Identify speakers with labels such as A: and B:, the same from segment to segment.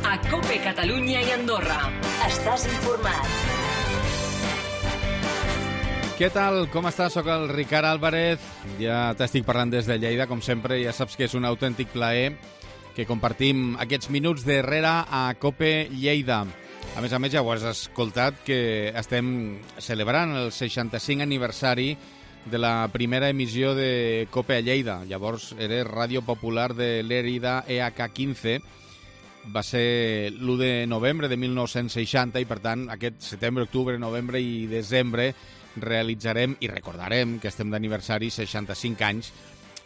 A: a COPE Catalunya i Andorra. Estàs informat.
B: Què tal? Com estàs? Soc el Ricard Álvarez. Ja t'estic parlant des de Lleida, com sempre. Ja saps que és un autèntic plaer que compartim aquests minuts darrere a COPE Lleida. A més, ja ho has escoltat, que estem celebrant el 65 aniversari de la primera emissió de COPE a Lleida. Llavors era Ràdio Popular de Lérida EH15. Va ser l'1 de novembre de 1960 i, per tant, aquest setembre, octubre, novembre i desembre realitzarem i recordarem que estem d'aniversari 65 anys,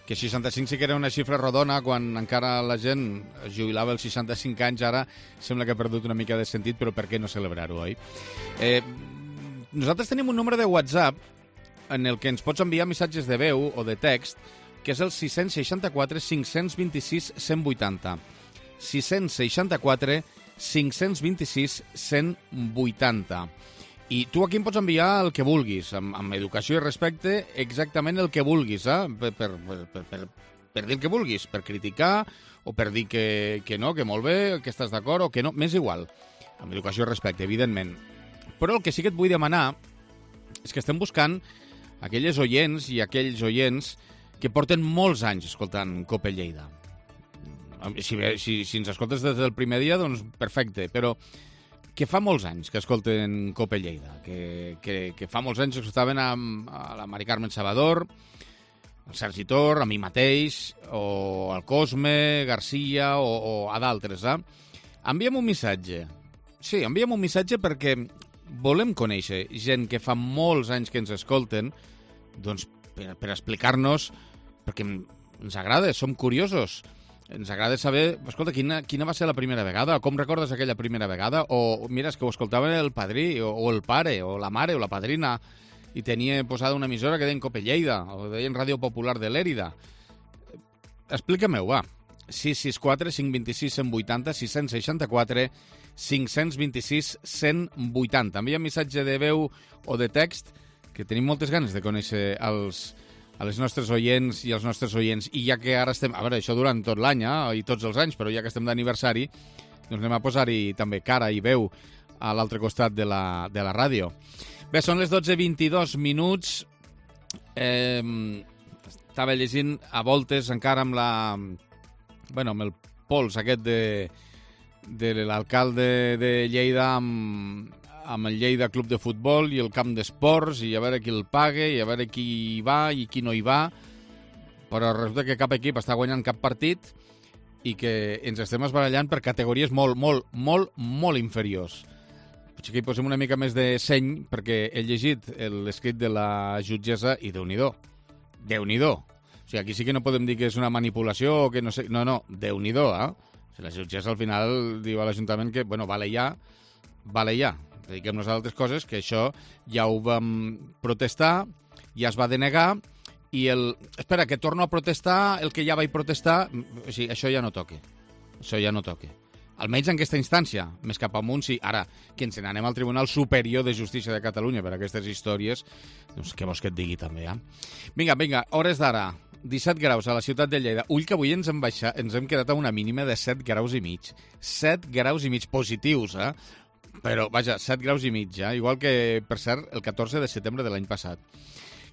B: que 65 sí que era una xifra rodona quan encara la gent es jubilava als 65 anys. Ara sembla que ha perdut una mica de sentit, però per què no celebrar-ho, oi? Nosaltres tenim un número de WhatsApp en el que ens pots enviar missatges de veu o de text, que és el 664 526 180. 664 526 180. I tu aquí em pots enviar el que vulguis, amb educació i respecte, exactament el que vulguis, per dir el que vulguis, per criticar o per dir que no, que molt bé, que estàs d'acord o que no, m'és igual, amb educació i respecte, evidentment. Però el que sí que et vull demanar és que estem buscant aquelles oients i aquells oients que porten molts anys escoltant COPE Lleida. Si ens escoltes des del primer dia, doncs perfecte, però que fa molts anys que escolten COPE Lleida, que fa molts anys que escoltaven a la Mari Carmen Salvador, al Sergi Tor, a mi mateix, o al Cosme, Garcia, o a d'altres. Enviem un missatge. Sí, enviem un missatge perquè volem conèixer gent que fa molts anys que ens escolten, doncs per explicar-nos, perquè ens agrada, som curiosos. Ens agrada saber, escolta, quina va ser la primera vegada, com recordes aquella primera vegada, o mira, és que ho escoltaven el padrí, o el pare, o la mare, o la padrina, i tenia posada una emissora que deien COPE Lleida, o deien Ràdio Popular de Lérida. Explica-m'ho, va. 664 526 180, 664 526 180. Envia un missatge de veu o de text, que tenim moltes ganes de conèixer a les nostres oients i els nostres oients. I ja que ara estem... A veure, això durant tot l'any, i tots els anys, però ja que estem d'aniversari, doncs anem a posar-hi també cara i veu a l'altre costat de la ràdio. Bé, són les 12:22 minuts. Estava llegint a voltes encara amb el pols aquest de l'alcalde de Lleida amb el Lleida Club de Futbol i el camp d'esports, i a veure qui el paga, i a veure qui hi va i qui no hi va, però resulta que cap equip està guanyant cap partit i que ens estem esbarallant per categories molt inferiors. Potser que hi posem una mica més de seny, perquè he llegit l'escrit de la jutgessa i Déu-n'hi-do. Déu-n'hi-do. O sigui, aquí sí que no podem dir que és una manipulació o que no sé... No, Déu-n'hi-do, O sigui, la jutgessa al final diu a l'Ajuntament que, bueno, vale ja. Dediquem-nos a altres coses, que això ja ho vam protestar, ja es va denegar, i espera, que torno a protestar el que ja vaig protestar, o sigui, això ja no toca. Això ja no toca. Almenys en aquesta instància, més cap amunt, sí. Ara, que ens n'anem al Tribunal Superior de Justícia de Catalunya per aquestes històries, doncs què vols que et digui també, Vinga, hores d'ara. 17 graus a la ciutat de Lleida. Ull, que avui ens hem quedat a una mínima de 7 graus i mig. 7 graus i mig positius, Però, vaja, 7 graus i mig, igual que, per cert, el 14 de setembre de l'any passat.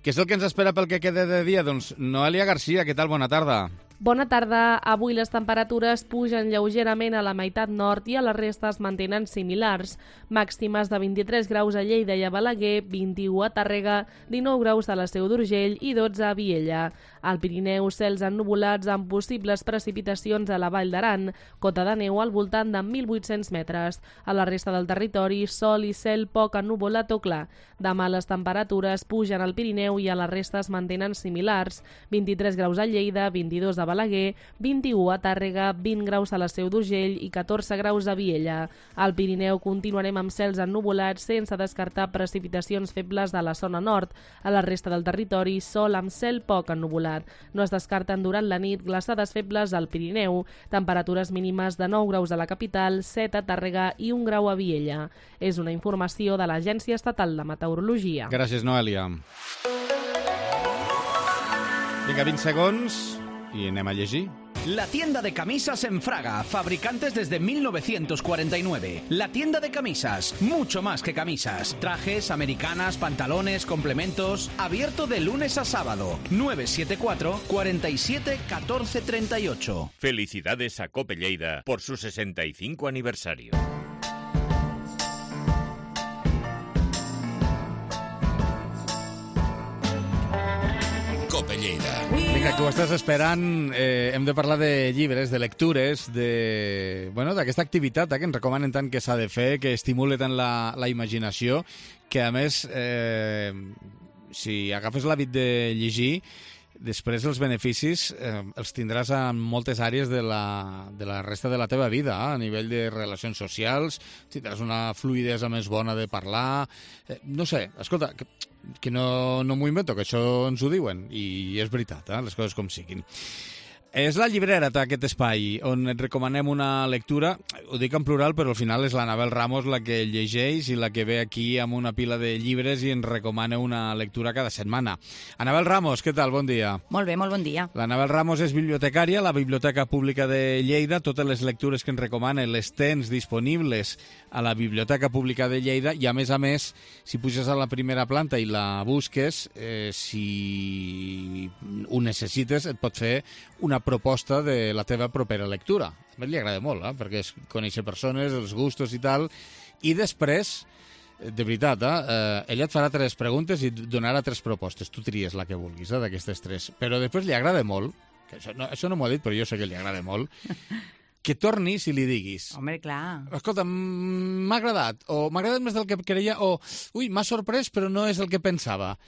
B: Què és el que ens espera pel que queda de dia? Doncs Noelia Garcia, què tal? Bona tarda.
C: Bona tarda. Avui les temperatures pugen lleugerament a la meitat nord i a la resta es mantenen similars. Màximes de 23 graus a Lleida i a Balaguer, 21 a Tàrrega, 19 graus a la Seu d'Urgell i 12 a Viella. Al Pirineu, cels ennuvolats amb possibles precipitacions a la Vall d'Aran, cota de neu al voltant de 1.800 metres. A la resta del territori, sol i cel poc ennuvolat o clar. Demà les temperatures pugen al Pirineu i a la resta es mantenen similars. 23 graus a Lleida, 22 a Balaguer, 21 a Tàrrega, 20 graus a la Seu d'Urgell i 14 graus a Viella. Al Pirineu continuarem amb cels ennuvolats sense descartar precipitacions febles de la zona nord. A la resta del territori, sol amb cel poc ennuvolat. No es descarten durant la nit glaçades febles al Pirineu. Temperatures mínimes de 9 graus a la capital, 7 a Tàrrega i 1 grau a Viella. És una informació de l'Agència Estatal de Meteorologia.
B: Gràcies, Noelia. Vinga, 20 segons i anem a llegir.
D: La tienda de camisas en Fraga, fabricantes desde 1949. La tienda de camisas, mucho más que camisas. Trajes, americanas, pantalones, complementos. Abierto de lunes a sábado. 974 47 14 38.
E: Felicidades a Cope Lleida por su 65 aniversario.
F: Cope Lleida.
B: Vinga, que ho estàs esperant, hem de parlar de llibres, de lectures, d'aquesta activitat que ens recomanen tant que s'ha de fer, que estimula tant la imaginació, que a més, si agafes l'hàbit de llegir, després els beneficis els tindràs en moltes àrees de la resta de la teva vida, a nivell de relacions socials, tindràs una fluïdesa més bona de parlar, no sé, escolta, que no m'ho invento, que això ens ho diuen, i és veritat, les coses com siguin. És la llibrera, aquest espai, on et recomanem una lectura, ho dic en plural, però al final és l'Anabel Ramos la que llegeix i la que ve aquí amb una pila de llibres i ens recomana una lectura cada setmana. Anabel Ramos, què tal? Bon dia.
G: Molt bé, molt bon dia.
B: L'Anabel Ramos és bibliotecària a la Biblioteca Pública de Lleida. Totes les lectures que ens recomana les tens disponibles a la Biblioteca Pública de Lleida i, a més, si puges a la primera planta i la busques, si ho necessites, et pot fer una proposta de la teva propera lectura. A mi li agrada molt, perquè és conèixer persones, els gustos i tal, i després, de veritat, ella et farà 3 preguntes i et donarà 3 propostes. Tu tries la que vulguis, d'aquestes 3. Però després li agrada molt, que això no m'ho ha dit, però jo sé que li agrada molt, que tornis i li diguis.
G: Home, clar.
B: Escolta, m'ha agradat, o m'ha agradat més del que creia, o m'ha sorprès però no és el que pensava.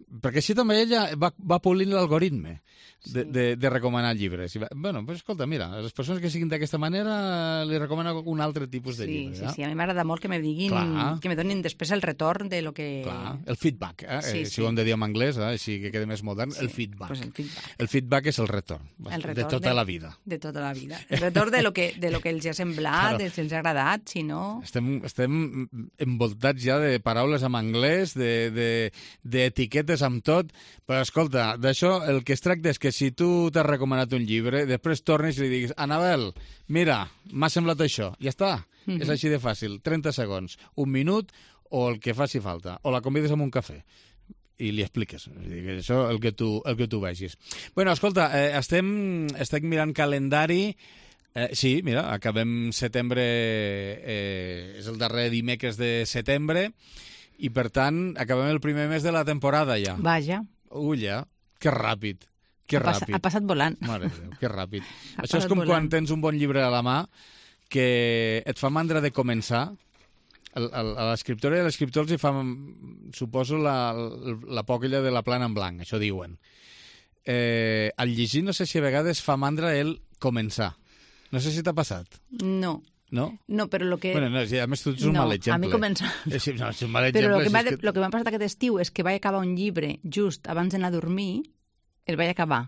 B: Perquè així també ella va polint l'algoritme de recomanar llibres. Bueno, pues escolta, mira, a les persones que siguin d'aquesta manera li recomano un altre tipus de llibre.
G: Sí, a mi m'agrada molt que me diguin, que me donin després el retorn de lo que...
B: Clar, el feedback, si ho hem de dir en anglès, així que quede més modern, el feedback.
G: Pues el feedback.
B: El feedback és el retorn, de tota la vida.
G: De tota la vida. El retorn de lo que els ha semblat, claro. Si els ha agradat, si no...
B: Estem envoltats ja de paraules en anglès, d'etiquetes amb tot, però escolta, d'això el que es tracta és que si tu t'has recomanat un llibre, després tornes i li diguis, Anabel, mira, m'ha semblat això, ja està, és així de fàcil, 30 segons, 1 minut o el que faci falta, o la convides amb un cafè i li expliques, això el que tu vegis. Bueno, escolta, estem mirant calendari. Sí, mira, acabem setembre, és el darrer dimecres de setembre, i per tant acabem el primer mes de la temporada ja.
G: Vaja.
B: Ulla, que ràpid.
G: Ha passat volant.
B: Mare de Déu, que ràpid. Això és com quan tens un bon llibre a la mà que et fa mandra de començar. A l'escriptora i a l'escriptor els hi fa, suposo, la por aquella de la plana en blanc, això diuen. Al llegir no sé si a vegades fa mandra el començar. No sé si t'ha passat.
G: No.
B: No?
G: No, però el que...
B: Bueno, no, a més tu ets un mal exemple.
G: A mi comença...
B: Sí, no, és un mal
G: exemple.
B: Però
G: el que m'ha passat aquest estiu és que vaig acabar un llibre just abans d'anar a dormir, el vaig acabar.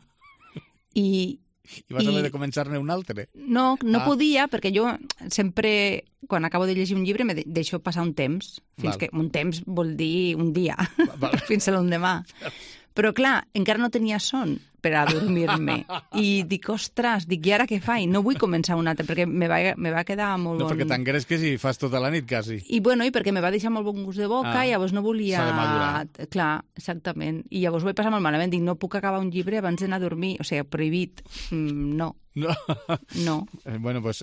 G: I
B: vas haver de començar-ne un altre?
G: No podia, perquè jo sempre, quan acabo de llegir un llibre, me deixo passar un temps. Que un temps vol dir un dia, fins a l'endemà. Però, clar, encara no tenia son per a dormir-me. I dic, ostres, i ara què faig? No vull començar un altre, perquè me va quedar molt bon...
B: No, perquè t'engresques i fas tota la nit, quasi.
G: I perquè me va deixar molt bon gust de boca, i llavors no volia...
B: S'ha de madurar.
G: Clar, exactament. I llavors ho vaig passar molt malament. Dic, no puc acabar un llibre abans d'anar a dormir. O sigui, prohibit. No. No.
B: Bueno, pues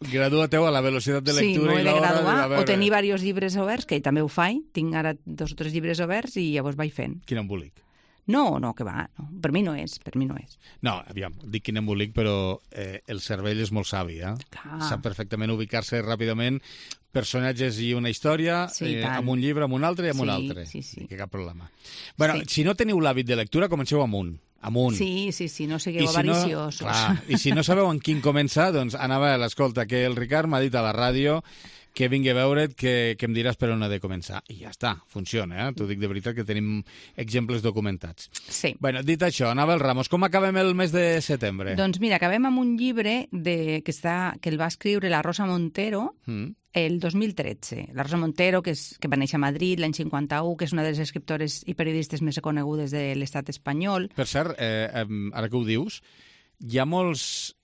B: gradua-teu a la velocitat de lectura i l'hora... Sí, m'ho he de graduar,
G: o tenir diversos llibres oberts, que també ho faig. Tinc ara 2 o 3 llibres oberts i llavors vaig fent.
B: Quin embolic.
G: No, que va. No. Per mi no és.
B: No, aviam, dic quin embolic, però el cervell és molt savi, Sap perfectament ubicar-se ràpidament personatges i una història, amb un llibre, amb un altre i amb un altre.
G: Sí.
B: Que cap problema. Bueno, si no teniu l'hàbit de lectura, comenceu amunt.
G: Sí, no sigueu avariciosos.
B: I si no sabeu en quin començar, doncs, Anabel, escolta, que el Ricard m'ha dit a la ràdio que vingui a veure't, que em diràs per on ha de començar. I ja està, funciona, T'ho dic de veritat, que tenim exemples documentats.
G: Sí.
B: Bueno, dit això, Anabel Ramos, com acabem el mes de setembre?
G: Doncs mira, acabem amb un llibre que el va escriure la Rosa Montero el 2013. La Rosa Montero, que va néixer a Madrid l'any 51, que és una de les escriptores i periodistes més conegudes de l'estat espanyol.
B: Per cert, ara que ho dius, hi ha molts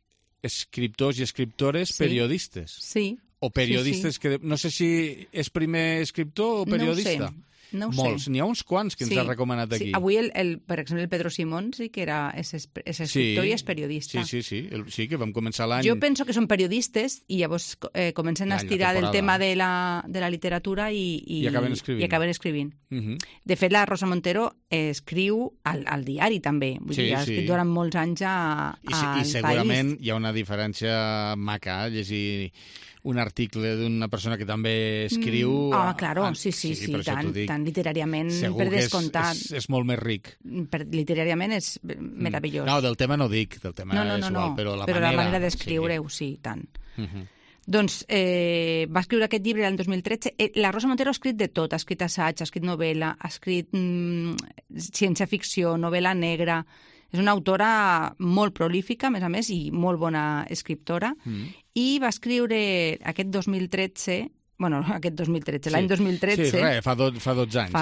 B: escriptors i escriptores periodistes.
G: Sí.
B: O periodistes que... No sé si és primer escriptor o periodista.
G: No ho
B: Molts.
G: sé.
B: N'hi ha uns quants que ens ha recomanat aquí.
G: Sí. Avui, per exemple, el Pedro Simón sí que és escriptor i és periodista.
B: Sí, que vam començar l'any...
G: Jo penso que són periodistes i llavors comencen a estirar del tema de la literatura i acaben escrivint. De fet, la Rosa Montero escriu al diari també. Vull dir, ha escrit durant molts anys al País.
B: I segurament hi ha una diferència maca llegir un article d'una persona que també escriu...
G: claro, sí, tant literàriament, per descomptat.
B: És molt més ric.
G: Literàriament és meravellós.
B: No, del tema no dic, del tema és igual, però la
G: manera d'escriure-ho, sí, tant. Doncs va escriure aquest llibre l'any 2013. La Rosa Montero ha escrit de tot, ha escrit assaig, ha escrit novel·la, ha escrit ciència-ficció, novel·la negra. És una autora molt prolífica, a més a més, i molt bona escriptora. I va escriure aquest 2013... l'any 2013...
B: Sí, fa 12 anys.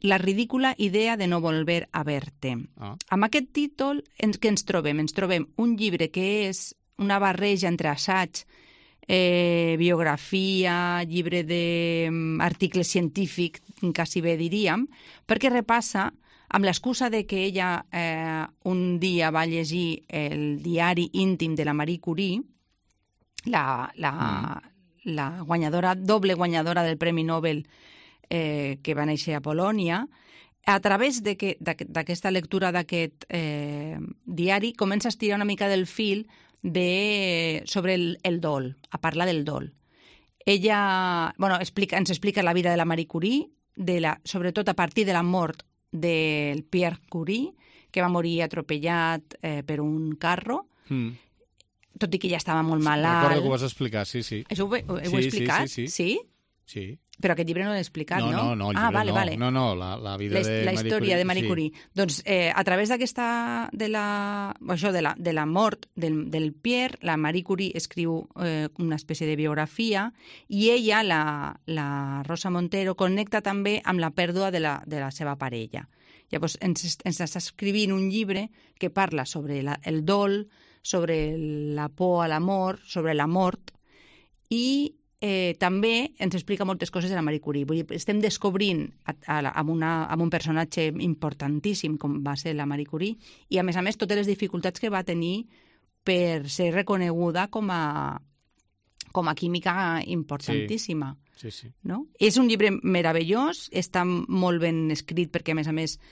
G: La ridícula idea de no volver a verte. Amb aquest títol, què ens trobem? Ens trobem un llibre que és una barreja entre assaig, biografia, llibre d'article científic, quasi bé diríem, perquè repassa amb l'excusa de que ella un dia va llegir el diari íntim de la Marie Curie, la guanyadora, doble guanyadora del Premi Nobel que va néixer a Polònia, a través d'aquesta lectura d'aquest diari comença a estirar una mica del fil sobre el dol, a parlar del dol. Ella ens explica la vida de la Marie Curie, sobretot a partir de la mort del Pierre Curie, que va morir atropellat per un carro, tot i que ja estava molt malalt.
B: Recordo que ho vas explicar, sí.
G: Això ho he explicat? Sí?
B: Sí.
G: Però aquest llibre no l'he explicat, no?
B: No, vale. No, la vida de Marie Curie.
G: La història de Marie Curie. Doncs a través d'aquesta... de la mort del Pierre, la Marie Curie escriu una espècie de biografia i ella, la Rosa Montero, connecta també amb la pèrdua de la seva parella. Llavors ens està escrivint un llibre que parla sobre el dol, sobre la por a l'amor, sobre la mort i també ens explica moltes coses de la Marie Curie. Vull dir, estem descobrint amb un personatge importantíssim com va ser la Marie Curie i, a més, totes les dificultats que va tenir per ser reconeguda com a química importantíssima.
B: Sí.
G: No? És un llibre meravellós, està molt ben escrit perquè, a més,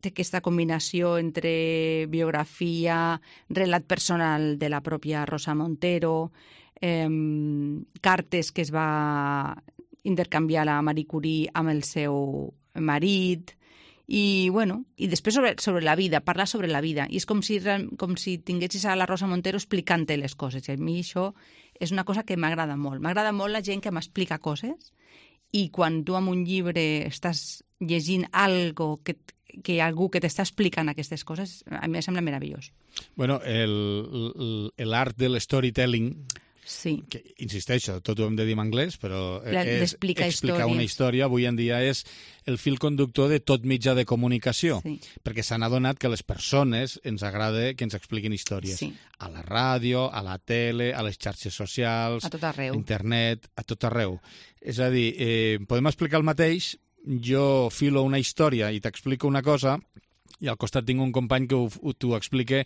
G: té aquesta combinació entre biografia, relat personal de la pròpia Rosa Montero, cartes que es va intercanviar la Marie Curie amb el seu marit i després sobre la vida, parlar sobre la vida i és com si tinguessis a la Rosa Montero explicant-te les coses i a mi això és una cosa que m'agrada molt la gent que m'explica coses i quan tu amb un llibre estàs llegint algo que hi ha algú que t'està explicant aquestes coses, a mi em sembla meravellós.
B: Bueno, l'art de l'storytelling,
G: sí.
B: Que, insisteixo, tot ho hem de dir en anglès, però és
G: explicar
B: una història, avui en dia és el fil conductor de tot mitjà de comunicació, perquè s'han adonat que les persones ens agrada que ens expliquin històries.
G: Sí.
B: A la ràdio, a la tele, a les xarxes socials,
G: a tot arreu.
B: A internet, a tot arreu. És a dir, podem explicar el mateix, jo filo una història i t'explico una cosa i al costat tinc un company que t'ho explica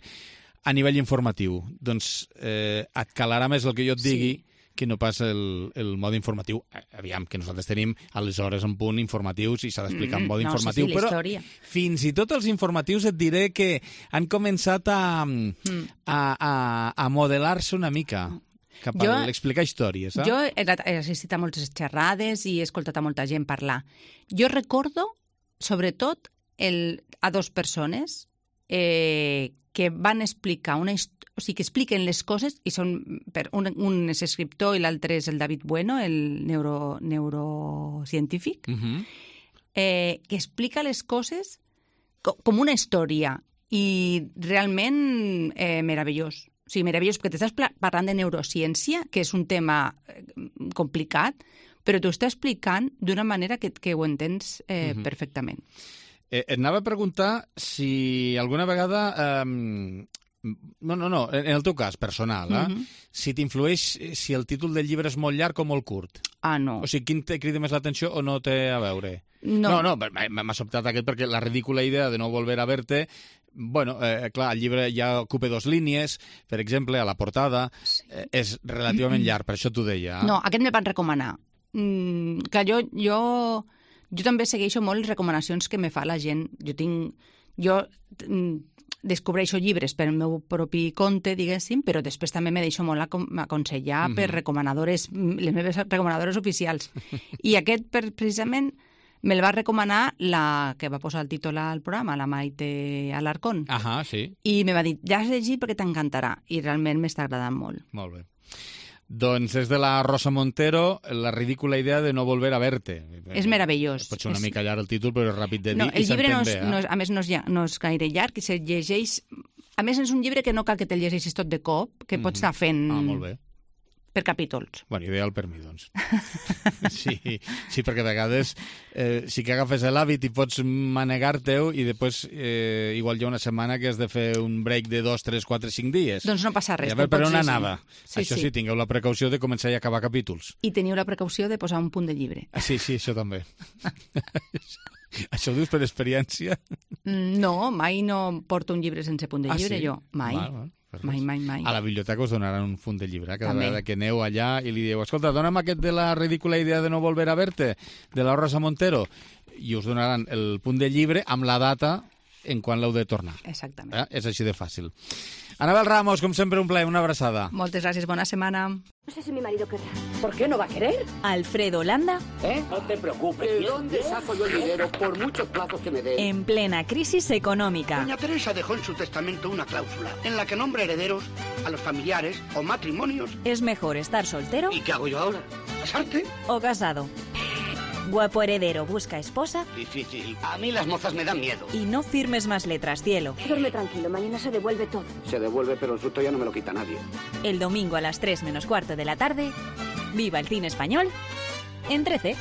B: a nivell informatiu. Doncs et calarà més el que jo et digui que no pas el mode informatiu. Aviam, que nosaltres tenim a les hores en punt informatius i s'ha d'explicar en mode informatiu.
G: Sí,
B: però
G: història.
B: Fins i tot els informatius et diré que han començat a modelar-se una mica cap a l'explicar històries.
G: Jo he assistit a moltes xerrades i he escoltat a molta gent parlar. Jo recordo, sobretot, a dues persones que van explicar o sigui, que expliquen les coses i són, un és escriptor i l'altre és el David Bueno, el neurocientífic, que explica les coses com una història i realment meravellós. O sigui, meravellós, perquè t'estàs parlant de neurociència, que és un tema complicat, però t'ho està explicant d'una manera que ho entens perfectament.
B: Et anava a preguntar si alguna vegada... No, en el teu cas, personal, si t'influeix si el títol del llibre és molt llarg o molt curt.
G: No.
B: O sigui, quin te crida més l'atenció o no té a veure?
G: No,
B: m'ha sobtat aquest perquè la ridícula idea de no volver a verte... Bueno, clar, el llibre ja ocupa 2 línies, per exemple, a la portada, és relativament llarg, per això t'ho deia.
G: No, aquest me'l van recomanar. Que jo també segueixo molt les recomanacions que me fa la gent. Jo descobreixo llibres per el meu propi compte, diguéssim, però després també me deixo molt aconsellar per recomanadores, les meves recomanadores oficials. I aquest, precisament, me'l va recomanar la que va posar el títol al programa, la Maite Alarcón.
B: Sí.
G: I me va dir, ja has llegit perquè t'encantarà. I realment m'està agradant molt.
B: Molt bé. Doncs és de la Rosa Montero, la ridícula idea de no volver a verte.
G: És meravellós.
B: Pot ser una mica llarg el títol, però és ràpid de dir
G: i s'entén bé.
B: El llibre,
G: a més, no és gaire llarg, i se llegeix... A més, és un llibre que no cal que te'l llegeixis tot de cop, que pots estar fent...
B: molt bé.
G: Per capítols.
B: Bueno, ideal per mi, doncs. Sí, perquè a vegades sí que agafes l'hàbit i pots manegar-te-ho i després igual hi ha una setmana que has de fer un break de 2, 3, 4, 5 dies.
G: Doncs no passa res.
B: I a veure per on anava.
G: Sí,
B: això sí, tingueu la precaució de començar i acabar capítols.
G: I teniu la precaució de posar un punt de llibre.
B: Sí, això també. Això ho dius per experiència?
G: No, mai no porto un llibre sense punt de llibre, jo. Mai. Mai.
B: A la biblioteca us donaran un full de llibre, cada vegada que aneu allà i li dieu, escolta, dona'm aquest de la ridícula idea de no volver a verte, de la Rosa Montero, i us donaran el punt de llibre amb la data en quan l'heu de tornar.
G: Exactament.
B: És així de fàcil. Anabel Ramos, com sempre, un plaer, una abraçada.
G: Moltes gràcies, bona setmana.
H: No sé si mi marido querrá. ¿Por qué no va a querer?
I: Alfredo Landa.
J: No te preocupes. ¿De dónde saco yo el dinero por muchos plazos que me den?
I: En plena crisis económica.
K: Doña Teresa dejó en su testamento una cláusula en la que nombra herederos a los familiares o matrimonios.
I: ¿Es mejor estar soltero?
K: ¿Y qué hago yo ahora? ¿Casarte?
I: ¿O casado? Guapo heredero busca esposa.
K: Difícil. A mí las mozas me dan miedo.
I: Y no firmes más letras, cielo.
H: Duerme tranquilo, mañana se devuelve todo.
J: Se devuelve, pero el susto ya no me lo quita nadie.
I: El domingo a las 3 menos cuarto de la tarde, viva el cine español en 13.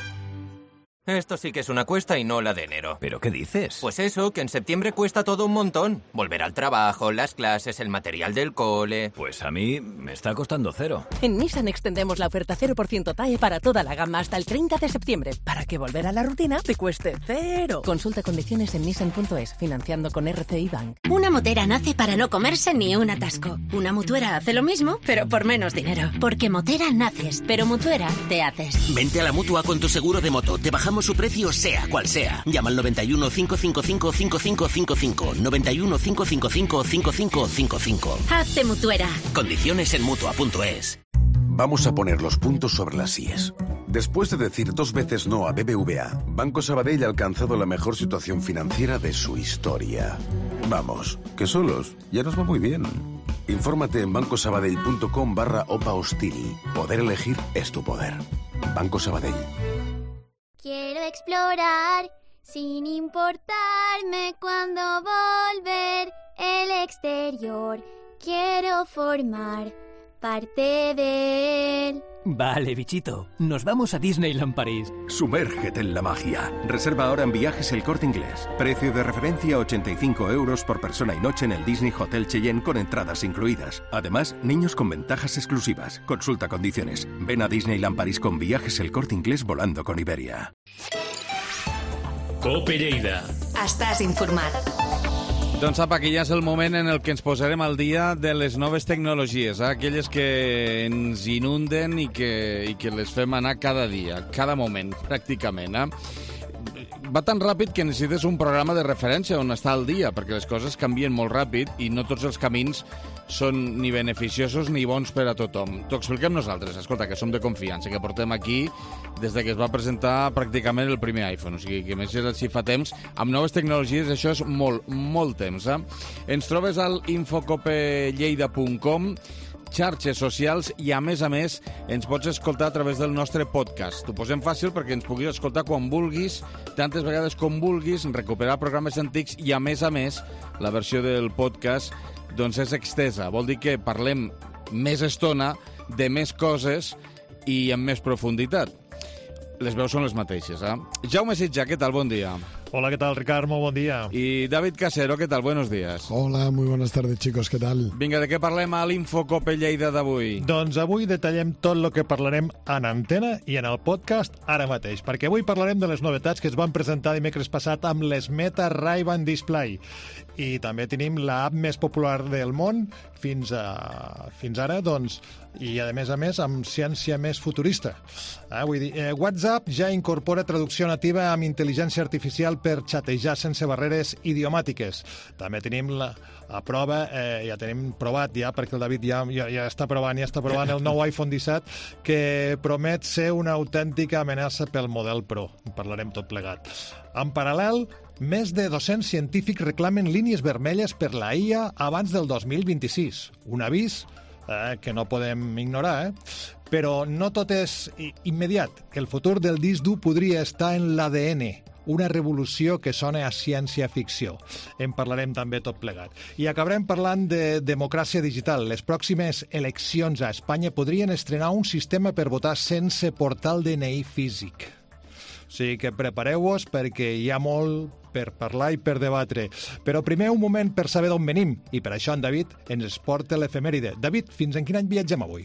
L: Esto sí que es una cuesta y no la de enero.
M: ¿Pero qué dices?
L: Pues eso, que en septiembre cuesta todo un montón. Volver al trabajo, las clases, el material del cole...
M: Pues a mí me está costando 0.
N: En Nissan extendemos la oferta 0% TAE para toda la gama hasta el 30 de septiembre, para que volver a la rutina te cueste 0. Consulta condiciones en nissan.es, financiando con RCI Bank.
O: Una motera nace para no comerse ni un atasco. Una mutuera hace lo mismo, pero por menos dinero. Porque motera naces, pero mutuera te haces.
P: Vente a la Mutua con tu seguro de moto. Te bajamos su precio sea cual sea. Llama al 91 555 5555. 91 555 5555.
O: Hazte mutuera.
P: Condiciones en Mutua.es.
Q: Vamos a poner los puntos sobre las IES. Después de decir 2 veces no a BBVA, Banco Sabadell ha alcanzado la mejor situación financiera de su historia. Vamos, que solos ya nos va muy bien. Infórmate en bancosabadell.com/OPA hostil. Poder elegir es tu poder. Banco Sabadell.
R: Quiero explorar sin importarme cuándo volver el exterior. Quiero formar parte de él.
S: Vale, bichito. Nos vamos a Disneyland París.
T: Sumérgete en la magia. Reserva ahora en Viajes El Corte Inglés. Precio de referencia 85 € por persona y noche en el Disney Hotel Cheyenne con entradas incluidas. Además, niños con ventajas exclusivas. Consulta condiciones. Ven a Disneyland París con Viajes El Corte Inglés volando con Iberia.
F: Cope Lleida.
A: Estàs informat.
B: Doncs apa, que ja és el moment en el que ens posarem al dia de les noves tecnologies, aquelles que ens inunden i que les fem anar cada dia, cada moment, pràcticament. Va tan ràpid que necessites un programa de referència on estar al dia, perquè les coses canvien molt ràpid i no tots els camins són ni beneficiosos ni bons per a tothom. T'ho expliquem nosaltres, escolta, que som de confiança, que portem aquí des de que es va presentar pràcticament el primer iPhone, o sigui que més si fa temps, amb noves tecnologies això és molt temps. Ens trobes al infocopelleida.com, xarxes socials i, a més, ens pots escoltar a través del nostre podcast. T'ho posem fàcil perquè ens puguis escoltar quan vulguis, tantes vegades com vulguis, recuperar programes antics i, a més, la versió del podcast doncs és extesa. Vol dir que parlem més estona de més coses i amb més profunditat. Les veus són les mateixes, Jaume Sitjà, què tal? Bon dia.
U: Hola, ¿qué tal, Ricard? Muy buen día.
B: Y David Casero, ¿qué tal? Buenos días.
V: Hola, muy buenas tardes, chicos, ¿qué tal?
B: Vinga, de què parlem a l'Infocope Lleida d'avui?
U: Doncs avui detallem tot el que parlarem en antena i en el podcast ara mateix, perquè avui parlarem de les novetats que es van presentar dimecres passat amb les Meta Ray-Ban Display. I també tenim l'app més popular del món fins ara, doncs, i a més amb ciència més futurista. Vull dir, WhatsApp ja incorpora traducció nativa amb intel·ligència artificial per xatejar sense barreres idiomàtiques. També tenim a prova, ja tenim provat ja, perquè el David ja està provant el nou iPhone 17, que promet ser una autèntica amenaça pel model Pro. En parlarem tot plegat. En paral·lel, més de 200 científics reclamen línies vermelles per la IA abans del 2026. Un avís que no podem ignorar, però no tot és immediat, que el futur del disc dur podria estar en l'ADN, una revolució que sona a ciència-ficció. En parlarem també tot plegat. I acabarem parlant de democràcia digital. Les pròximes eleccions a Espanya podrien estrenar un sistema per votar sense portar el DNI físic. O sigui que prepareu-vos perquè hi ha molt per parlar i per debatre. Però primer un moment per saber d'on venim, i per això en David ens porta l'efemèride. David, fins en quin any viatgem avui?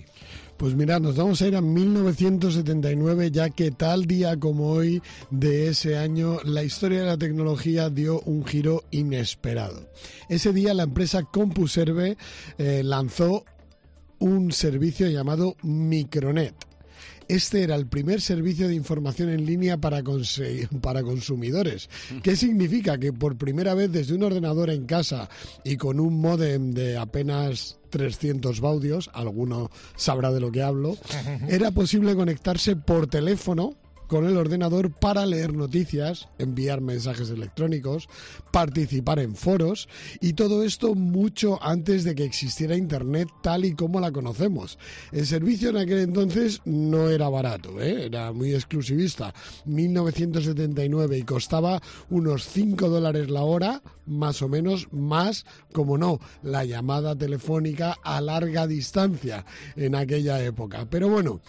V: Pues mirad, nos vamos a ir a 1979, ya que tal día como hoy de ese año, la historia de la tecnología dio un giro inesperado. Ese día la empresa CompuServe lanzó un servicio llamado Micronet. Este era el primer servicio de información en línea para consumidores. ¿Qué significa? Que por primera vez desde un ordenador en casa y con un módem de apenas 300 baudios, alguno sabrá de lo que hablo, era posible conectarse por teléfono con el ordenador para leer noticias, enviar mensajes electrónicos, participar en foros, y todo esto mucho antes de que existiera Internet tal y como la conocemos. El servicio en aquel entonces no era barato, era muy exclusivista, 1979, y costaba unos $5 la hora, más o menos, más, como no, la llamada telefónica a larga distancia en aquella época. Pero bueno,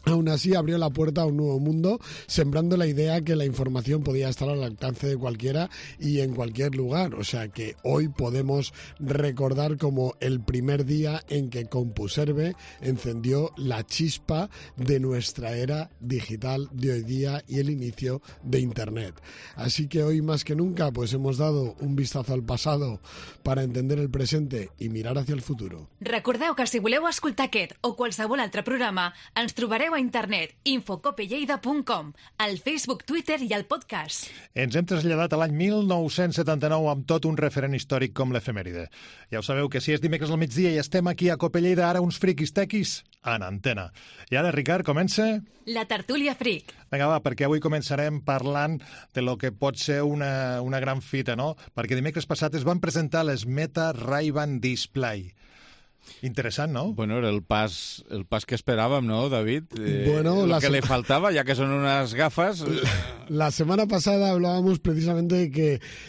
V: aún así abrió la puerta a un nuevo mundo, sembrando la idea que la información podía estar al alcance de cualquiera y en cualquier lugar. O sea que hoy podemos recordar como el primer día en que CompuServe encendió la chispa de nuestra era digital de hoy día y el inicio de Internet. Así que hoy más que nunca pues hemos dado un vistazo al pasado para entender el presente y mirar hacia el futuro.
W: Recordeu que si voleu escoltar aquest o qualsevol altre programa, ens trobareu a internet infocopelleida.com, al Facebook, Twitter i al podcast.
U: Ens hem traslladat a l'any 1979 amb tot un referent històric com l'efemèride. Ja ho sabeu que si és dimecres al migdia i estem aquí a Copelleida, ara uns friquis tequis en antena. I ara, Ricard, comença...
W: La tertúlia fric.
U: Vinga, va, perquè avui començarem parlant de lo que pot ser una gran fita, no? Perquè dimecres passat es van presentar les Meta Ray-Ban Display. Interesante, ¿no?
B: Bueno, era el pas que esperábamos, ¿no, David?
V: Bueno,
B: lo que le faltaba, ya que son unas gafas.
V: La semana pasada hablábamos precisamente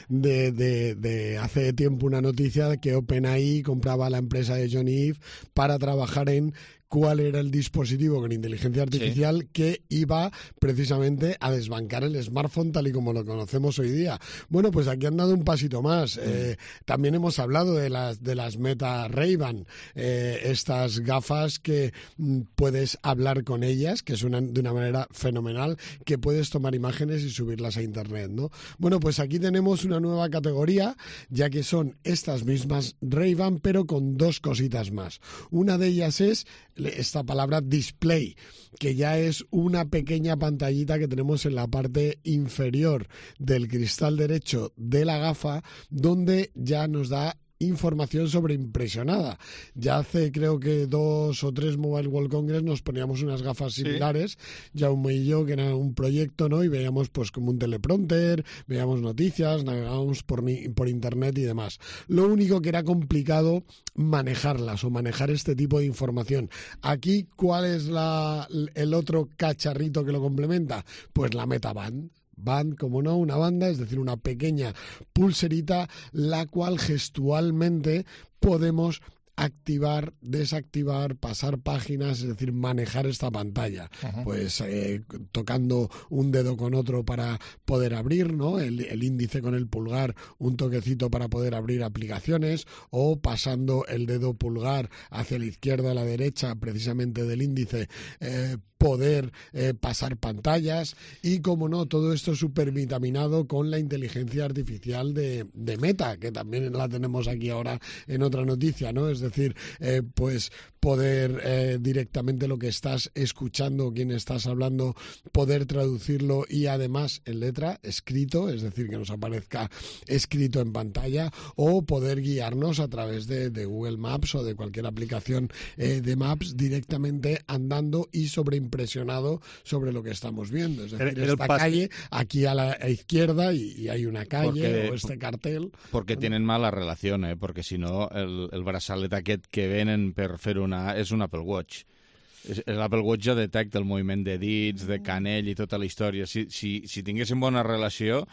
V: de hace tiempo una noticia de que OpenAI compraba la empresa de Johnny Ive para trabajar en cuál era el dispositivo con inteligencia artificial que iba precisamente a desbancar el smartphone tal y como lo conocemos hoy día. Bueno, pues aquí han dado un pasito más. También hemos hablado de las Meta Ray-Ban, estas gafas que puedes hablar con ellas, que suenan de una manera fenomenal, que puedes tomar imágenes y subirlas a internet, ¿no? Bueno, pues aquí tenemos una nueva categoría, ya que son estas mismas Ray-Ban, pero con dos cositas más. Una de ellas es esta palabra display, que ya es una pequeña pantallita que tenemos en la parte inferior del cristal derecho de la gafa, donde ya nos da información sobre impresionada. Ya hace creo que 2 o 3 Mobile World Congress nos poníamos unas gafas similares, Jaume y yo, que era un proyecto, ¿no? Y veíamos pues como un teleprompter, veíamos noticias, navegábamos por internet y demás. Lo único que era complicado manejarlas o manejar este tipo de información. Aquí, ¿cuál es el otro cacharrito que lo complementa? Pues la MetaBand. Band, como no, una banda, es decir, una pequeña pulserita, la cual gestualmente podemos activar, desactivar, pasar páginas, es decir, manejar esta pantalla. Pues tocando un dedo con otro para poder abrir, ¿no? El índice con el pulgar, un toquecito para poder abrir aplicaciones, o pasando el dedo pulgar hacia la izquierda a la derecha, precisamente del índice, poder pasar pantallas, y como no, todo esto supervitaminado con la inteligencia artificial de Meta, que también la tenemos aquí ahora en otra noticia, ¿no? Es decir, pues poder directamente lo que estás escuchando, quien estás hablando, poder traducirlo y además en letra, escrito, es decir, que nos aparezca escrito en pantalla, o poder guiarnos a través de Google Maps o de cualquier aplicación de Maps directamente andando y sobreimpresionado sobre lo que estamos viendo. Es decir, esta calle aquí a la izquierda y hay una calle o este cartel.
B: Porque tienen mala relación, porque si no el braçalet aquest que venen per fer és un Apple Watch. L'Apple Watch ja detecta el moviment de dits, de canell i tota la història. Si tinguéssim bona relació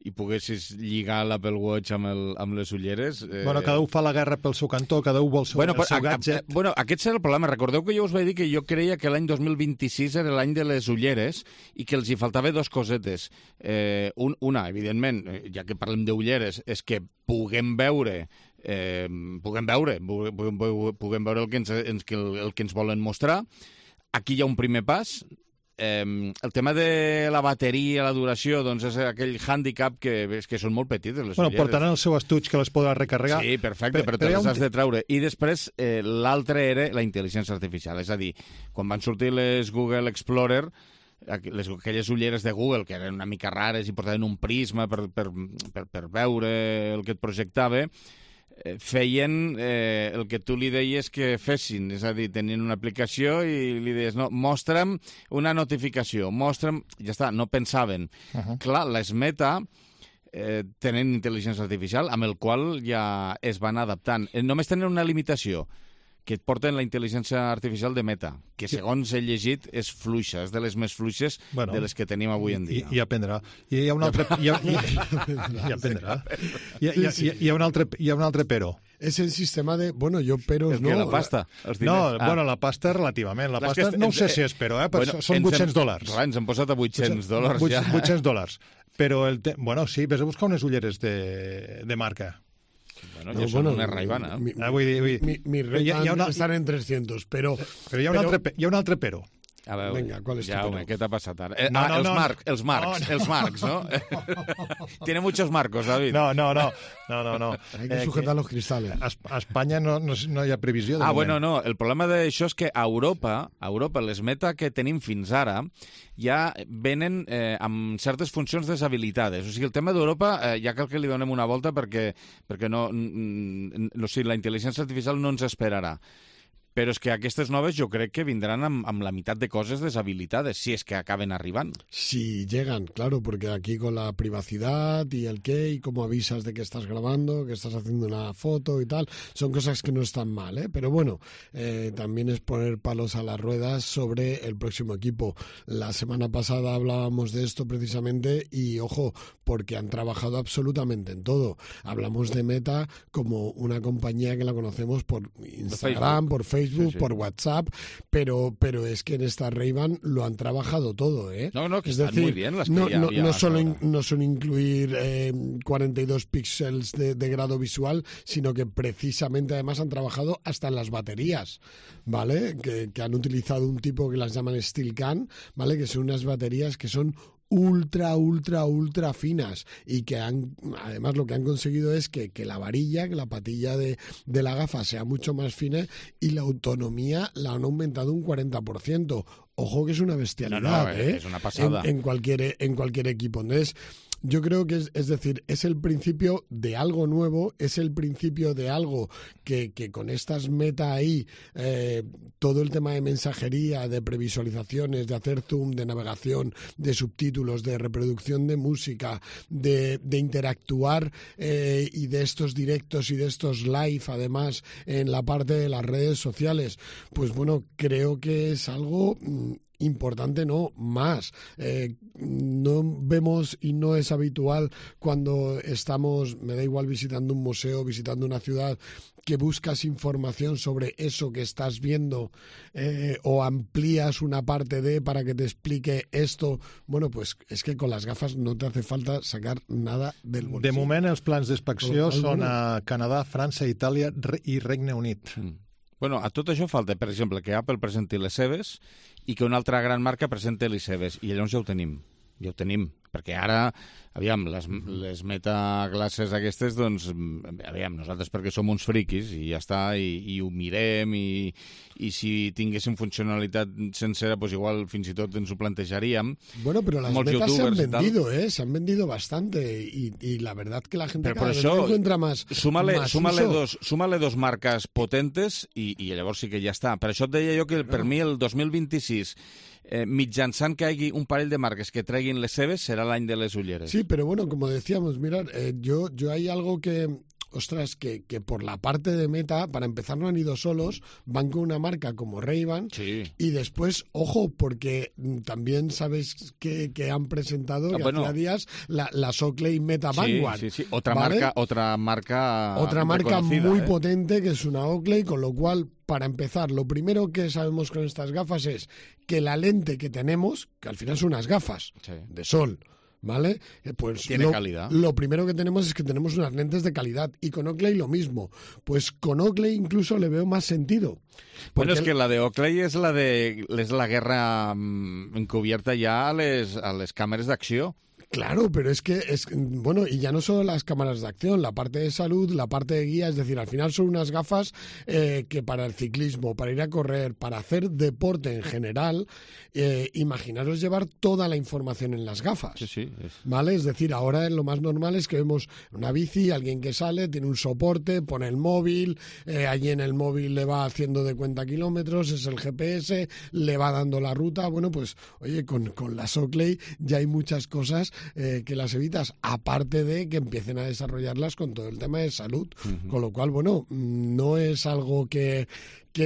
B: i poguessis lligar l'Apple Watch amb les ulleres...
U: Bueno, cada un fa la guerra pel seu cantó, cada un vol el seu gadget.
B: Bueno, aquest serà el problema. Recordeu que jo us vaig dir que jo creia que l'any 2026 era l'any de les ulleres i que els hi faltava dos cosetes. Una, evidentment, ja que parlem d'ulleres, és que puguem veure el que ens volen mostrar. Aquí hi ha un primer pas. El tema de la bateria, la duració, doncs és aquell hàndicap que són molt petites les ulleres.
U: Portaran el seu estuig que les podrà recarregar.
B: Sí, perfecte, però te les has de treure. I després l'altre era la intel·ligència artificial, és a dir, quan van sortir les Google Explorer, aquelles ulleres de Google que eren una mica rares i portaven un prisma per veure el que et projectava, feien el que tu li deies que fessin, és a dir, tenien una aplicació i li deies, no, mostra'm una notificació, mostra'm... Ja està, no pensaven. Clar, les Meta tenen intel·ligència artificial amb el qual ja es van adaptant. Només tenen una limitació, que et porten la intel·ligència artificial de Meta, que segons he llegit és fluixa, és de les més fluixes de les que tenim avui en dia.
U: I aprendrà. I hi ha un altre... I aprendrà. Hi ha un altre però.
V: Es el sistema de... Bueno, yo pero...
B: El que la pasta.
U: No, bueno, la pasta relativament. La pasta no sé si és però, però són $800.
B: Ens hem posat a $800 ja.
U: $800. Però, bueno, sí, vés a buscar unes ulleres de marca.
B: Bueno, no, són una Ray-Ban,
V: Mi Ray-Ban estan en 300, però
U: hi ha un altre però.
B: A veure,
V: venga, ¿cuál es tu pero?
B: ¿Qué t'ha passat ara? Els marcs, ¿no? Tiene muchos marcos, David.
U: No.
V: Hay que sujetar los cristales.
U: A Espanya no hi ha previsió de moment.
B: Bueno, no. El problema d'això és que a Europa, les Meta que tenim fins ara, ja venen amb certes funcions deshabilitades. O sigui, el tema d'Europa ja cal que li donem una volta perquè no, la intel·ligència artificial no ens esperarà. Pero es que aquestes noves yo creo que vendrán amb la mitad de cosas deshabilitadas, si es que acaben arribando.
V: Si llegan, claro, porque aquí con la privacidad y el qué, y cómo avisas de que estás grabando, que estás haciendo una foto y tal, son cosas que no están mal, ¿eh? Pero bueno, también es poner palos a las ruedas sobre el próximo equipo. La semana pasada hablábamos de esto precisamente y, ojo, porque han trabajado absolutamente en todo. Hablamos de Meta como una compañía que la conocemos por Instagram, por Facebook, por WhatsApp, pero es que en esta Ray-Ban lo han trabajado todo, ¿eh?
B: No, que están muy bien las que
V: no solo incluir 42 píxeles de grado visual, sino que precisamente además han trabajado hasta en las baterías, ¿vale? Que han utilizado un tipo que las llaman Steel Can, ¿vale? Que son unas baterías que son ultra finas y que además lo que han conseguido es que la varilla, que la patilla de la gafa sea mucho más fina y la autonomía la han aumentado un 40%. Ojo que es una bestialidad,
B: es una pasada.
V: En cualquier equipo. Entonces, yo creo que es decir, es el principio de algo nuevo, es el principio de algo que con estas Meta ahí, todo el tema de mensajería, de previsualizaciones, de hacer zoom, de navegación, de subtítulos, de reproducción de música, de interactuar y de estos directos y de estos live, además, en la parte de las redes sociales, pues bueno, creo que es algo importante no, más. No vemos y no es habitual cuando estamos, me da igual, visitando un museo, visitando una ciudad, que buscas información sobre eso que estás viendo o amplías una parte de para que te explique esto. Bueno, pues és que con las gafas no te hace falta sacar nada del bolsillo.
U: De moment, els plans d'inspecció són a Canadà, França, Itàlia i Regne Unit.
B: Bueno, a tot això falta, per exemple, que Apple presenti les seves i que una altra gran marca presenti les seves, i llavors ja ho tenim, perquè ara, aviam, les metaglasses aquestes, doncs, aviam, nosaltres perquè som uns friquis i ja està, i ho mirem, i si tinguéssim funcionalitat sencera, pues igual fins i tot ens ho plantejaríem.
V: Bueno, pero las metas se han vendido, se han vendido bastante, y la verdad que la gente cada vez encuentra más
B: súmale dos marques potentes i llavors sí que ja està. Per això et deia jo que per mi el 2026 mitjançant que hi hagi un parell de marques que treguin les seves, serà l'any de les ulleres.
V: Sí, pero bueno, como decíamos, mirad, yo hay algo que... Ostras, que por la parte de Meta, para empezar, no han ido solos, van con una marca como Ray-Ban, sí. Y después, ojo, porque también sabéis que han presentado hace días las Oakley Meta Vanguard.
B: Sí. Otra marca
V: muy potente, que es una Oakley, con lo cual, para empezar, lo primero que sabemos con estas gafas es que la lente que tenemos, que al final son unas gafas de sol, ¿vale? Pues
B: tiene calidad.
V: Lo primero que tenemos es que tenemos unas lentes de calidad, y con Oakley lo mismo. Pues con Oakley incluso le veo más sentido.
B: Bueno, és que la de Oakley és la guerra encubierta ja a les càmeres d'acció.
V: Claro, pero es que, bueno, y ya no solo las cámaras de acción, la parte de salud, la parte de guía, es decir, al final son unas gafas que para el ciclismo, para ir a correr, para hacer deporte en general, imaginaros llevar toda la información en las gafas.
B: Sí.
V: ¿Vale? Es decir, ahora lo más normal es que vemos una bici, alguien que sale, tiene un soporte, pone el móvil, allí en el móvil le va haciendo de cuenta kilómetros, es el GPS, le va dando la ruta. Bueno, pues, oye, con las Oakley ya hay muchas cosas que las evitas, aparte de que empiecen a desarrollarlas con todo el tema de salud, con lo cual, bueno, no es algo que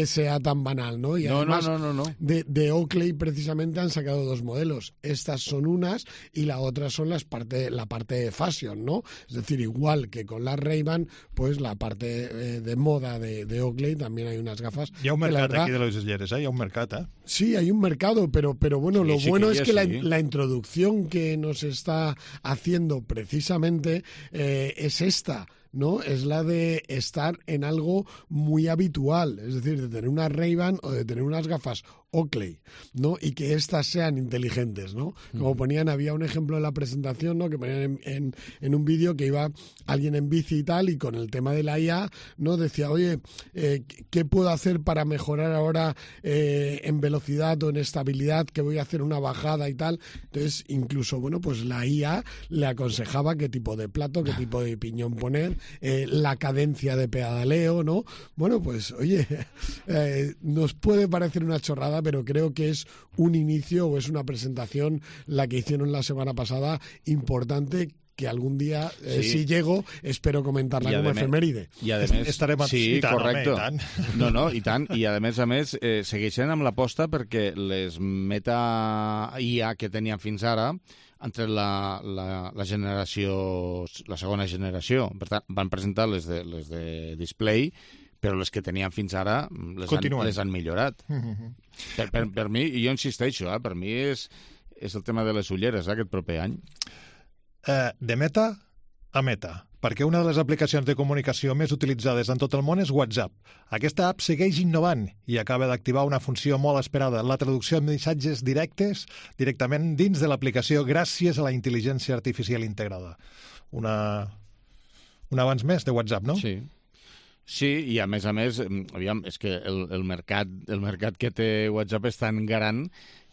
V: sea tan banal, ¿no? Y además,
B: no.
V: De Oakley precisamente han sacado dos modelos. Estas son unas y la otra son la parte de fashion, ¿no? Es decir, igual que con las Ray-Ban, pues la parte de moda de Oakley también hay unas gafas.
U: Hi ha un mercat aquí de les ulleres, hi ha un mercat,
V: Sí, hay un mercado, pero bueno, lo bueno es que la introducción que nos está haciendo precisamente es esta, ¿no? Es la de estar en algo muy habitual, es decir, de tener una Ray-Ban o de tener unas gafas Oakley, ¿no? Y que estas sean inteligentes, ¿no? Como ponían, había un ejemplo en la presentación, ¿no? Que ponían en un vídeo que iba alguien en bici y tal, y con el tema de la IA, ¿no? Decía, oye, ¿qué puedo hacer para mejorar ahora en velocidad o en estabilidad, que voy a hacer una bajada y tal? Entonces, incluso, bueno, pues la IA le aconsejaba qué tipo de plato, qué tipo de piñón poner, la cadencia de pedaleo, ¿no? Bueno, pues, oye, nos puede parecer una chorrada, pero creo que es un inicio o es una presentación, la que hicieron la semana pasada, importante, que algún día, si llego, espero comentar-la com a efemèride.
B: I a més, sí, correcte. I tant. I a més, segueixen amb l'aposta perquè les Meta IA que tenien fins ara han tret la generació, la segona generació. Per tant, van presentar les de display, però les que tenien fins ara les han millorat. Per mi, i jo insisteixo, per mi és el tema de les ulleres aquest proper any.
U: De Meta a Meta, perquè una de les aplicacions de comunicació més utilitzades en tot el món és WhatsApp. Aquesta app segueix innovant i acaba d'activar una funció molt esperada, la traducció de missatges directament dins de l'aplicació gràcies a la intel·ligència artificial integrada. Un avanç més de WhatsApp, no?
B: Sí, i a més, aviam, és que el mercat que té WhatsApp és tan gran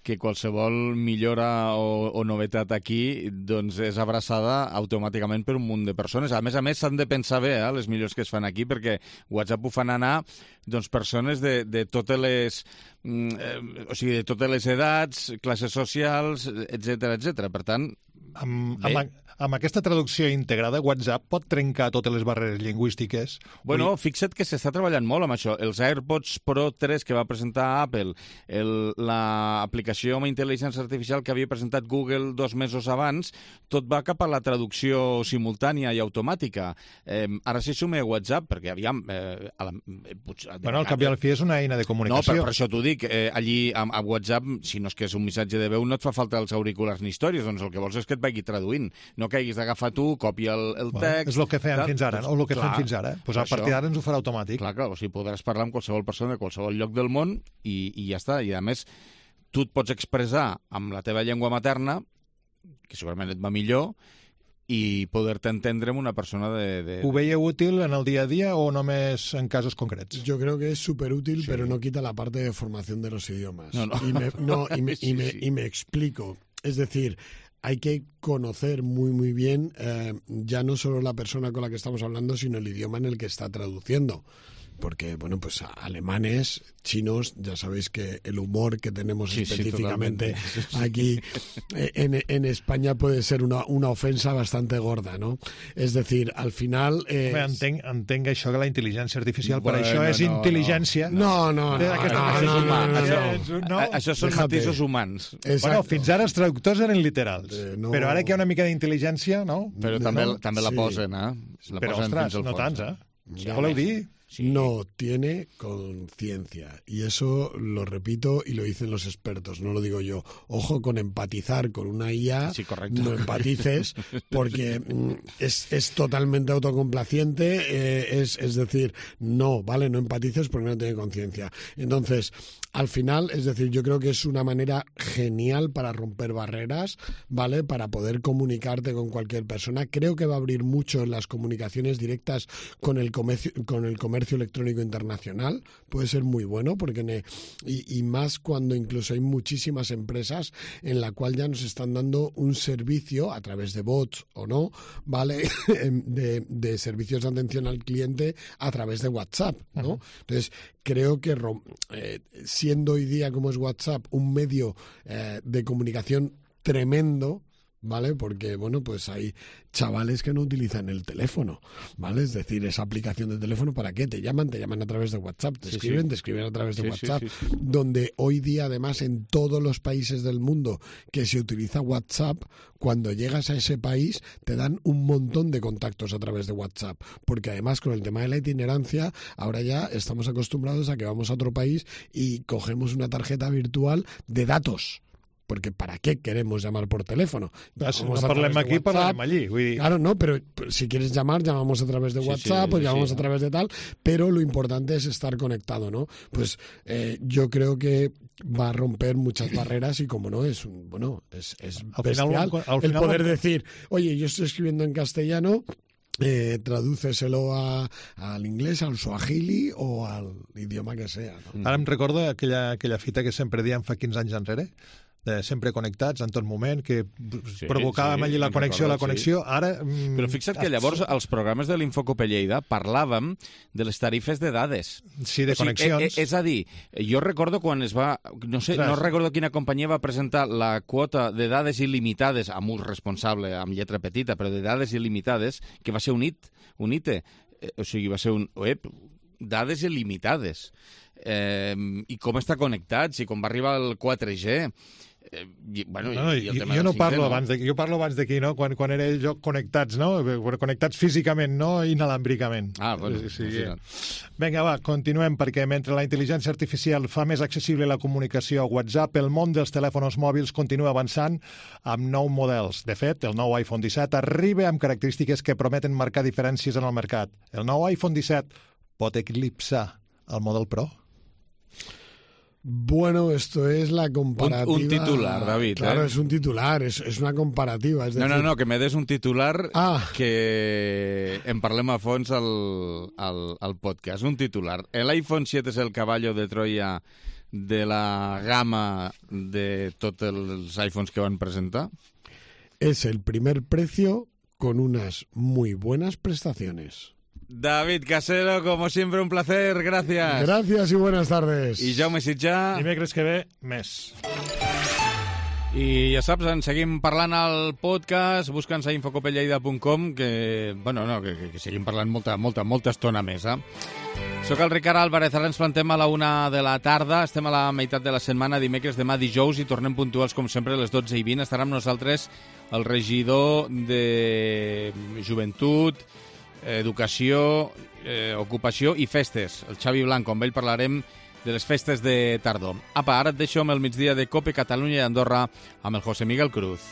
B: que qualsevol millora o novetat aquí doncs és abraçada automàticament per un munt de persones. A més, s'han de pensar bé les millors que es fan aquí, perquè WhatsApp ho fan anar doncs, persones de totes les de totes les edats, classes socials, etc. Per tant,
U: Amb aquesta traducció integrada, WhatsApp pot trencar totes les barreres lingüístiques.
B: Bueno, fixa't que s'està treballant molt amb això. Els AirPods Pro 3 que va presentar Apple, l'aplicació amb intel·ligència artificial que havia presentat Google 2 mesos abans, tot va cap a la traducció simultània i automàtica. Ara s'hi suma WhatsApp, perquè aviam...
U: Bueno, al cap i al fi és una eina de comunicació.
B: No, per això t'ho dic. Allí, a WhatsApp, si no és que és un missatge de veu, no et fa falta els auriculars ni històries, doncs el que vols és que et vagi traduint. No que hagis d'agafar tu, copia el text...
U: És el que feien fins ara, o el que fem fins ara. Pues a partir d'ara ens ho farà automàtic.
B: Clar, o sigui, podràs parlar amb qualsevol persona de qualsevol lloc del món i ja està. I a més, tu et pots expressar amb la teva llengua materna, que segurament et va millor, i poder-te entendre amb una persona de...
U: Ho veieu útil en el dia a dia o només en casos concrets?
V: Yo creo que es súper útil, sí. Pero no quita la parte de formación de los idiomas. Y me explico. Es decir... Hay que conocer muy bien ya no solo la persona con la que estamos hablando, sino el idioma en el que está traduciendo. Porque, bueno, pues alemanes, chinos, ya sabéis que el humor que tenemos específicamente aquí en España puede ser una ofensa bastante gorda, ¿no? Es decir, al final...
U: Entenc això que la intel·ligència artificial, per això és intel·ligència.
V: No.
B: Això són matisos humans.
U: Bueno, fins ara els traductors eren literals, però ara que hi ha una mica d'intel·ligència, no?
B: Però també la posen, eh?
U: Però, ostres, no tants, eh? Què voleu dir?
V: Sí. No tiene conciencia. Y eso lo repito y lo dicen los expertos, no lo digo yo. Ojo con empatizar con una IA,
B: sí, correcto.
V: No empatices, porque es totalmente autocomplaciente, es decir, no, ¿vale? No empatices porque no tiene conciencia. Entonces, al final, es decir, yo creo que es una manera genial para romper barreras, ¿vale? Para poder comunicarte con cualquier persona. Creo que va a abrir mucho en las comunicaciones directas con el comercio electrónico internacional. Puede ser muy bueno, porque y más cuando incluso hay muchísimas empresas en la cual ya nos están dando un servicio a través de bots o no, ¿vale? de servicios de atención al cliente a través de WhatsApp, ¿no? Uh-huh. Entonces, creo que siendo hoy día como es WhatsApp un medio de comunicación tremendo, ¿vale? Porque, bueno, pues hay chavales que no utilizan el teléfono, ¿vale? Es decir, esa aplicación de teléfono, ¿para qué? Te llaman a través de WhatsApp, te escriben a través de WhatsApp, donde hoy día, además, en todos los países del mundo que se utiliza WhatsApp, cuando llegas a ese país, te dan un montón de contactos a través de WhatsApp, porque además, con el tema de la itinerancia, ahora ya estamos acostumbrados a que vamos a otro país y cogemos una tarjeta virtual de datos. Porque ¿para qué queremos llamar por teléfono?
U: No parlem aquí, parlem allí. Vull dir...
V: Claro, no, pero si quieres llamar, llamamos a través de WhatsApp, o llamamos a través de tal, pero lo importante es estar conectado, ¿no? Pues yo creo que va a romper muchas barreras y, como no, es bestial el poder decir, oye, yo estoy escribiendo en castellano, tradúceselo al inglés, al suajili o al idioma que sea, ¿no?
U: Ara em recordo aquella fita que sempre diem fa 15 anys enrere, de sempre connectats en tot moment, que provocàvem allí la connexió. Ara...
B: Però fixa't que llavors als programes de l'Infocope Lleida parlàvem de les tarifes de dades.
U: Sí, de connexions.
B: És a dir, jo recordo quan es va... No recordo quina companyia va presentar la quota de dades il·limitades, amb ús responsable, amb lletra petita, però de dades il·limitades, que va ser un ITE. O sigui, va ser dades il·limitades. I com està connectat, si quan va arribar el 4G...
U: jo parlo abans d'aquí, no? Quan era jo connectats, no? Connectats físicament, no inalàmbricament. Vinga, va, continuem, perquè mentre la intel·ligència artificial fa més accessible la comunicació a WhatsApp, el món dels telèfons mòbils continua avançant amb nous models. De fet, el nou iPhone 17 arriba amb característiques que prometen marcar diferències en el mercat. El nou iPhone 17 pot eclipsar el Model Pro?
V: Bueno, esto es la comparativa...
B: Un titular, David.
V: Claro, es un titular, es una comparativa. Es decir...
B: No, que me des un titular que en parlem a fons al podcast. Un titular. El iPhone 7 es el caballo de Troya de la gama de tots els iPhones que van presentar?
V: Es el primer precio con unas muy buenas prestaciones.
B: David Casero, como siempre, un placer. Gracias.
V: Gracias y buenas tardes.
B: I Jaume Sitjà.
U: Dimecres que ve, més.
B: I ja saps, en seguim parlant al podcast, busca'ns a infocopelleida.com, que seguim parlant molta estona més. Soc el Ricard Álvarez, ara ens plantem a la 1 de la tarda, estem a la meitat de la setmana, dimecres, demà dijous, i tornem puntuals, com sempre, a les 12:20. Estarà amb nosaltres el regidor de Joventut, Educació, Ocupació i Festes, el Xavi Blanco. Amb ell parlarem de les festes de tardor. Apa, ara et deixo amb el migdia de COPE Catalunya i Andorra amb el José Miguel Cruz.